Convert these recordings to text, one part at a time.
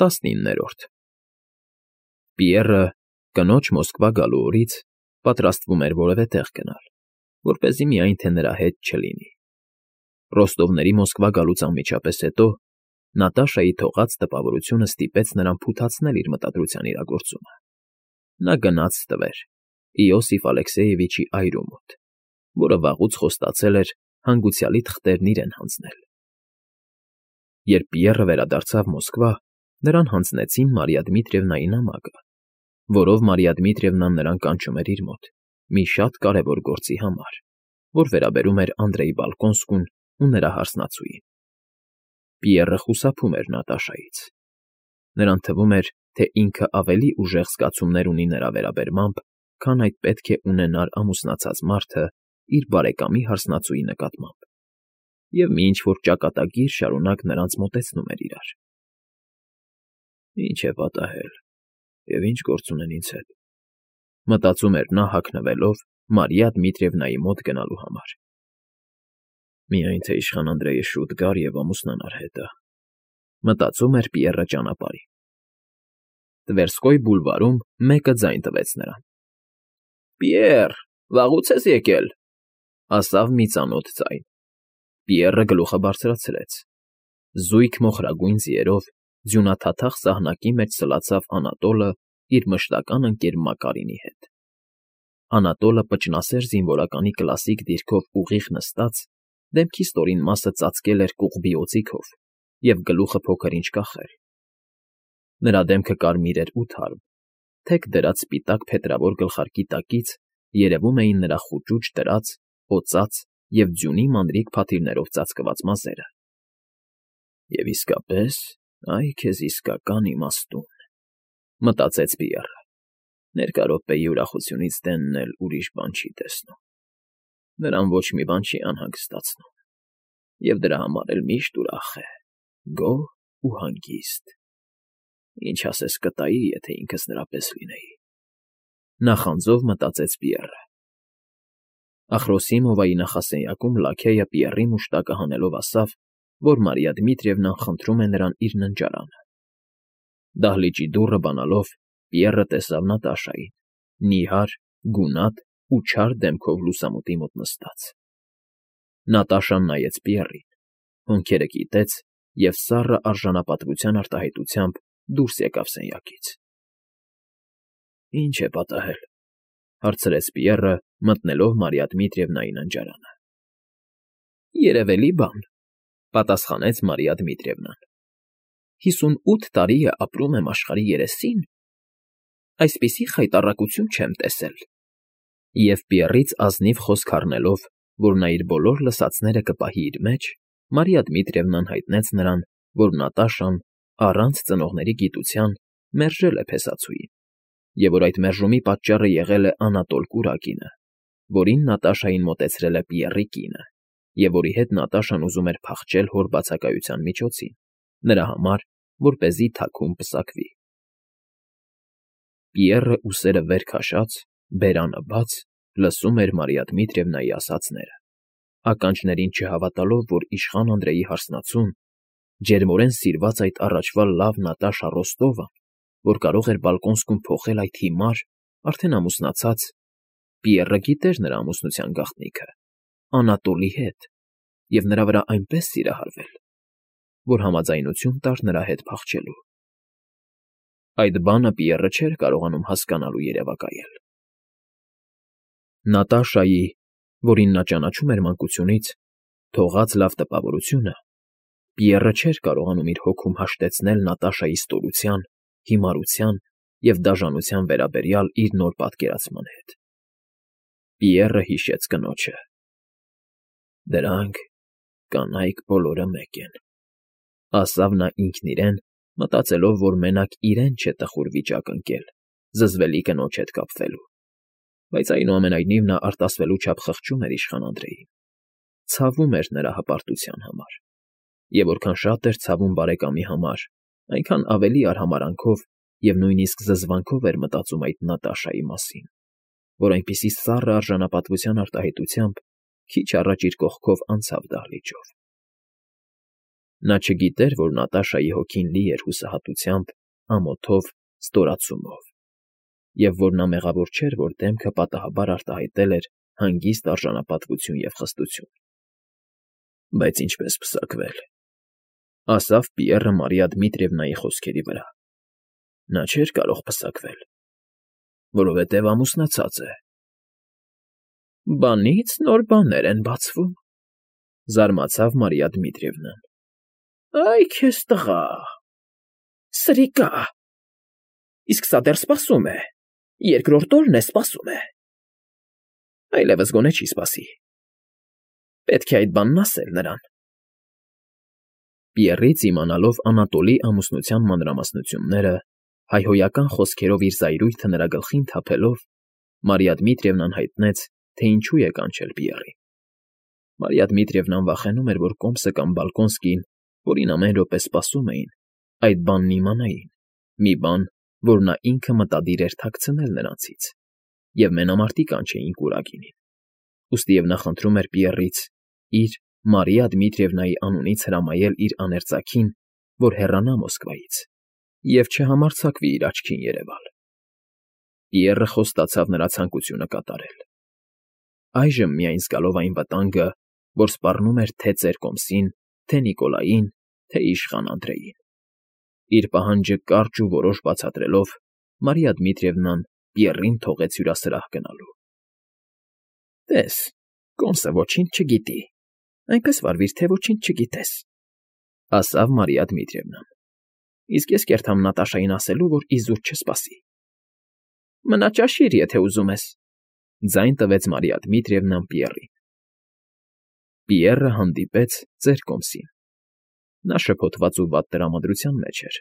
19-րդ Պիեռը կնոջ Մոսկվա գալու օրից պատրաստվում էր որևէ տեղ գնալ, որպեսզի միայն թե նրա հետ չլինի։ Ռոստովների Մոսկվա գալուց անմիջապես հետո Նատաշայի թողած տպավորությունը ստիպեց նրան փութացնել իր մտադրության իրագործումը։ Նա գնաց տվեր Իոսիֆ Ալեքսեևիչի այրու մոտ, որը վաղուց խոստացել էր հանգուցյալի թղթերն իրեն հանձնել։ Երբ Պիեռը վերադարձավ Մոսկվա, նրան հանձնեցին Մարիա Դմիտրիևնայի նամակը, որով Մարիա Դմիտրիևնան նրան կանչում էր իր մոտ մի շատ կարևոր գործի համար, որ վերաբերում էր Անդրեյ Բալկոնսկուն ու նրա հարսնացուին։ Պիեռը խուսափում էր Նատաշայից։ Նրան թվում էր, թե ինքը ավելի ուժեղ զգացումներ ունի նրա վերաբերմամբ, քան այդ պետք է ունենար ամուսնացած մարդը իր բարեկամի հարսնացուի նկատմամբ, և մի ինչ֊որ ճակատագիր շարունակ նրանց մոտեցնում էր իրար։ «Ինչ է պատահել, և ինչ գործ ունեն ինձ հետ», մտածում էր նա հագնվելով Մարիա Դմիտրիևնայի մոտ գնալու համար։ «Միայն թե իշխան Անդրեյը շուտ գար և ամուսնանար հետը», մտածում էր Պիեռը ճանապարհին։ Տվերսկոյ բուլվարում մեկը ձայն տվեց նրան։ «Պիեռ, վաղուց ես եկել», ասավ մի ծանոթ ձայն։ Պիեռը գլուխը բարձրացրեց։ Զույգ մոխրագույն ձիերով ձյունաթաթախ սահնակի մեջ սլացավ Անատոլը իր մշտական ընկեր Մակարինի հետ։ Անատոլը պճնասեր զինվորականի կլասիկ դիրքով ուղիղ նստած, դեմքի ստորին մասը ծածկել էր կուղբի օձիքով և գլուխը փոքր-ինչ կախել։ Նրա դեմքը կարմիր էր ու թարմ, թեք դրած սպիտակ փետրավոր գլխարկի տակից երևում էին նրա խուճուճ դրած, օծած և ձյունի մանրիկ փաթիլներով ծածկված մազերը։ «Եվ իսկապես, այ քեզ իսկական իմաստուն», մտածեց Պիեռը։ Ներկա րոպեի ուրախությունից դենն էլ ուրիշ բան չի տեսնում։ Նրան ոչ մի բան չի անհանգստացնում, և դրա համար էլ միշտ ուրախ է, գոհ ու հանգիստ։ Ինչ ասես կտայի, եթե ինքս նրա պես լինեի։ Նախանձով մտածեց Պիեռը։ Ախրոսիմովայի նախասենյակում լաքեյը Պիեռի մուշտակը հանելով ասավ, որ Մարիա Դմիտրիևնան խնդրում է նրան իր ննջարանը։ Դահլիճի դուռը բանալով Պիեռը տեսավ Նատաշային, նիհար, գունատ ու չար դեմքով լուսամուտի մոտ նստած։ Նատաշան նայեց Պիեռին, հոնքերը կիտեց և սառը արժանապատվության արտահայտությամբ դուրս եկավ սենյակից։ «Ինչ է պատահել», հարցրեց Պիեռը, մտնելով Մարիա Դմիտրիևնայի ննջարանը։ «Երևելի բան», պատասխանեց Մարիա Դմիտրիևնան։ 58 տարի է ապրում եմ աշխարհի երեսին, այսպիսի խայտառակություն չեմ տեսել։ Եվ Պիեռից ազնիվ խոսք առնելով, որ նա իր բոլոր լսածները կպահի իր մեջ, Մարիա Դմիտրիևնան հայտնեց նրան, որ Նատաշան, առանց ծնողների գիտության, մերժել է փեսացուին, և որ այդ մերժումի պատճառը եղել է Անատոլ Կուրակինը, որին Նատաշային մոտեցրել է Պիեռի կինը, և որի հետ Նատաշան ուզում էր փախչել հոր բացակայության միջոցին, նրա համար, որպեսզի թաքուն պսակվի։ Պիեռը, ուսերը վեր քաշած, բերանը բաց, լսում էր Մարիա Դմիտրիևնայի ասածները, ականջներին չհավատալով, որ իշխան Անդրեյի հարսնացուն, ջերմորեն սիրված այդ առաջվա լավ Նատաշա Ռոստովան, որ կարող էր Բալկոնսկում փոխել այդ հիմար, արդեն ամուսնացած, Պիեռը գիտեր նրա ամուսնության գաղտնիքը, Անատոլի հետ, և նրա վրա այնպես սիրահարվել, որ համաձայնություն տար նրա հետ փախչելու։ Այդ բանը Պիեռը չէր կարողանում հասկանալ ու երևակայել։ Նատաշայի, որին նա ճանաչում էր մանկությունից, թողած լավ տպավորությունը Պիեռը չէր կարողանում իր հոգում հաշտեցնել Նատաշայի ստորության, հիմարության և դաժանության վերաբերյալ իր նոր պատկերացման հետ։ Պիեռը հիշեց կնոջը. «Դրանք կանայք բոլորը մեկ են», ասավ նա ինքն իրեն, մտածելով, որ մենակ իրեն չէ տխուր վիճակ ընկել զզվելի կնոջ հետ կապվելու, բայց այնուամենայնիվ նա արտասվելու չափ խղճում էր իշխան Անդրեյին, ցավում էր նրա հպարտության համար, և որքան շատ էր ցավում բարեկամի համար, այնքան ավելի արհամարհանքով և նույնիսկ զզվանքով էր մտածում այդ Նատաշայի մասին, որ այնպիսի սառը արժանապատվության արտահայտությամբ քիչ առաջ իր կողքով անցավ դահլիճով։ Նա չգիտեր, որ Նատաշայի հոգին լի էր հուսահատությամբ, ամոթով, ստորացումով, և որ նա մեղավոր չէր, որ դեմքը պատահաբար արտահայտել էր հանգիստ արժանապատվություն և խստություն։ Բայց ինչպես պսակվել, ասավ Պիեռը Մարիա Դմիտրիևնայի խոսքերի վրա։ Նա չէր կարող պսակվել, որովհետև ամուսնացած է։ Բանից նոր բաներ են բացվում, զարմացավ Մարիա Դմիտրիևնան։ Այ քեզ տղա, սրիկա, իսկ սա դեռ սպասում է, երկրորդ օրն է սպասում է։ Այլևս գոնե չի սպասի։ Պետք է այդ բանն ասել նրան։ Պիեռից իմանալով Անատոլի ամուսնության մանրամասնությունները, հայհոյական խոսքերով իր զայրույթը նրա գլխին թափելով, Մարիա Դմիտրիևնան հայտնեց, թե ինչու է կանչել Պիեռին։ Մարիա Դմիտրիևնան վախենում էր, որ Կոմսը կամ Բալկոնսկին, որին ամեն րոպե սպասում էին, այդ բանն իմանային, մի բան, որ նա ինքը մտադիր էր թաքցնել նրանցից, և մենամարտի կանչեին կուրակինին։ Ուստիև նա խնդրում էր Պիեռից իր Մարիա Դմիտրիևնայի անունից հրամայել իր աներծաքին, որ հեռանա Մոսկվայից, և չհամարձակվի իր աչքին երևալ։ Պիեռը խոստացավ նրա ցանկությունը կատարել։ Այժմ միայն զգալով այն վտանգը, որ սպառնում էր թե ծեր Կոմսին, թե Նիկոլային, թե իշխան Անդրեին։ Իր պահանջը կարճ ու որոշ բացատրելով, Մարիա Դմիտրիևնան Պիեռին թողեց հյուրասրահ գնալու։ Տես, Կոմսը ոչինչ չգիտի, այնպես վարվիր, թե ոչինչ չգիտես, ասավ Մարիա Դմիտրիևնան։ Իսկ ես կերտամ Նատաշային ասելու, որ իզուր չսպասի։ Մնա ճաշիր, եթե ուզում ես, ձայն տվեց Մարիա Դմիտրիևնան Պիեռին։ Պիեռը հանդիպեց ծեր Կոմսին։ Նա շփոթված ու վատ տրամադրության մեջ էր։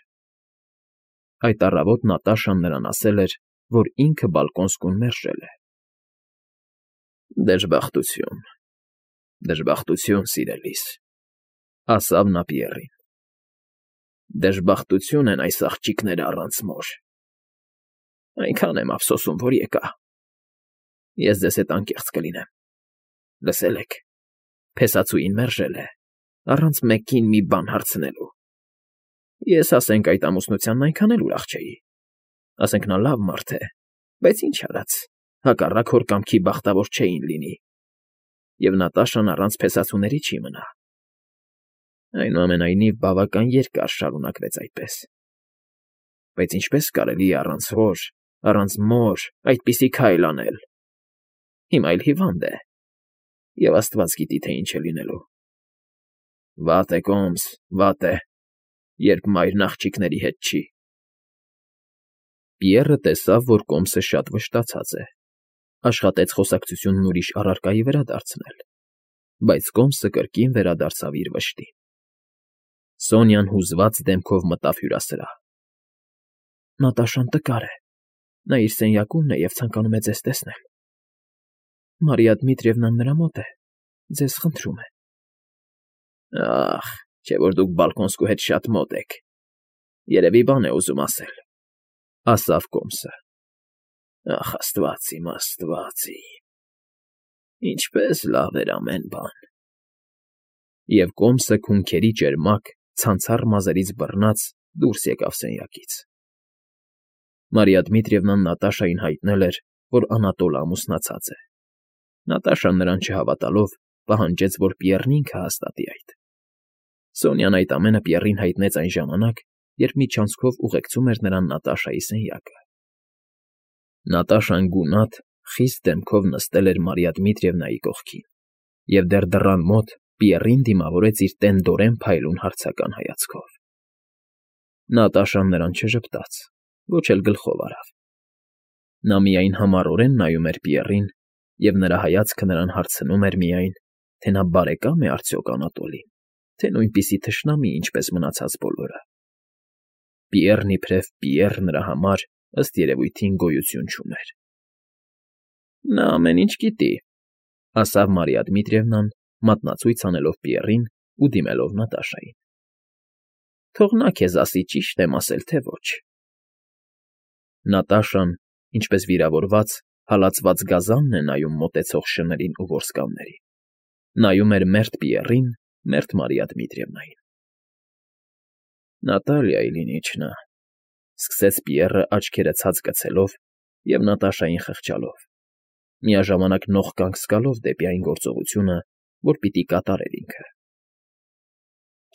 Այդ առավոտ Նատաշան նրան ասել էր, որ ինքը Բալկոնսկուն մերժել է։ Դժբախտություն, դժբախտություն, սիրելիս, ասավ նա Պիեռին։ Դժբախտություն են այս աղջիկները առանց մոր։ Այնքան եմ ափսոսում, որ եկա։ Ես ձեզ հետ անկեղծ կլինեմ։ Լսել եք, փեսացուին մերժել է, առանց մեկին մի բան հարցնելու։ Ես, ասենք, այդ ամուսնությանն այնքան էլ ուրախ չէի։ Ասենք նա լավ մարդ է, բայց ինչ արած, հակառակ հոր կամքի բախտավոր չէին լինի։ Եվ Նատաշան առանց փեսացուների չի մնա։ Այնուամենայնիվ բավական երկար շարունակվեց այդպես։ Բայց ինչպես կարելի է առանց հոր, առանց մոր այդպիսի քայլ անել։ Հիմա էլ հիվանդ է, և Աստված գիտի, թե ինչ է լինելու։ Վատ է, Կոմս, վատ է, երբ մայրն աղջիկների հետ չի։ Պիեռը տեսավ, որ Կոմսը շատ վշտացած է, աշխատեց խոսակցությունն ուրիշ առարկայի վրա դարձնել, բայց Կոմսը կրկին վերադարձավ իր վշտին։ Սոնյան հուզված դեմքով մտավ հյուրասրահ։ Նատաշան տկար է, նա իր սենյակումն է և ցանկանում է ձեզ տեսնել։ Մարիա Դմիտրիևնան նրա մոտ է, ձեզ խնդրում է։ Ախ, չէ որ դուք Բալկոնսկու հետ շատ մոտ եք։ Երևի բան է ուզում ասել, ասավ Կոմսը։ Ախ, Աստված իմ, Աստված իմ, ինչպես լավ էր ամեն բան։ Եվ Կոմսը քունքերի ճերմակ, ցանցառ մազերից բռնած դուրս եկավ սենյակից։ Մարիա Դմիտրիևնան Նատաշային հայտնել էր, որ Անատոլը ամուսնացած է։ Նատաշան նրան չհավատալով, պահանջեց, որ Պիեռն ինքը հաստատի այդ։ Սոնյան այդ ամենը Պիեռին հայտնեց այն ժամանակ, երբ միջանցքով ուղեկցում էր նրան Նատաշայի սենյակը։ Նատաշան գունատ, խիստ դեմքով նստել էր Մարիա Դմիտրիևնայի կողքին, և դեռ դռան մոտ Պիեռին դիմավորեց իր տենդորեն փայլուն հարցական հայացքով։ Նատաշան նրան չժպտաց, ոչ էլ գլխով արավ։ Նա միայն համառորեն նայում էր Պիեռին, և նրա հայացքը նրան հարցնում էր միայն, թե նա բարեկա՞մ է արդյոք Անատոլին, թե նույնպիսի թշնամի, ինչպես մնացած բոլորը։ Պիեռն իբրև Պիեռ նրա համար, ըստ երևույթին, գոյություն չուներ։ Նա ամեն ինչ գիտի, ասավ Մարիա Դմիտրիևնան, մատնացույց անելով Պիեռին ու դիմելով Նատաշային։ Թող նա քեզ ասի ճիշտ եմ ասել, թե ոչ։ Նատաշան, ինչպես վիրավորված, հալածված գազանն է նայում մոտեցող շներին ու որսկաններին, նայում էր մերթ Պիեռին, մերթ Մարիա Դմիտրիևնային։ Նատալիայի լինի չնա,֊ սկսեց Պիեռը աչքերը ցած գցելով և Նատաշային խղճալով, միաժամանակ նողկանք զգալով դեպի այն գործողությունը, որ պիտի կատարեր ինքը։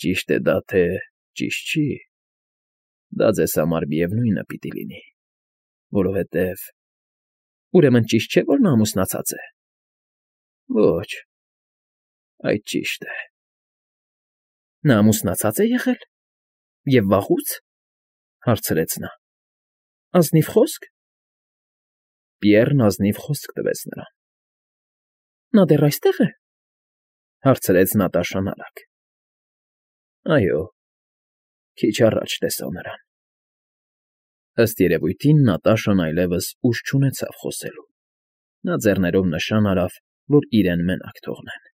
Ճիշտ է դա, թե ճիշտ չի, դա ձեզ համար միևնույնը պիտի լինի, որովհետև… Ուրեմն ճիշտ չէ, որ նա ամուսնացած է։ Ոչ, այդ ճիշտ է։ Նա ամուսնացած է եղել… Եվ վաղո՞ւց,֊ հարցրեց նա։ Ազնիվ խոսք… Պիեռն ազնիվ խոսք տվեց նրան։ Նա դեռ այստե՞ղ է,֊ հարցրեց Նատաշան արագ։ Այո, քիչ առաջ տեսա նրան։ Ըստ երևույթին Նատաշան այլևս ուժ չունեցավ խոսելու. նա ձեռներով նշան արավ, որ իրեն մենակ թողնեն։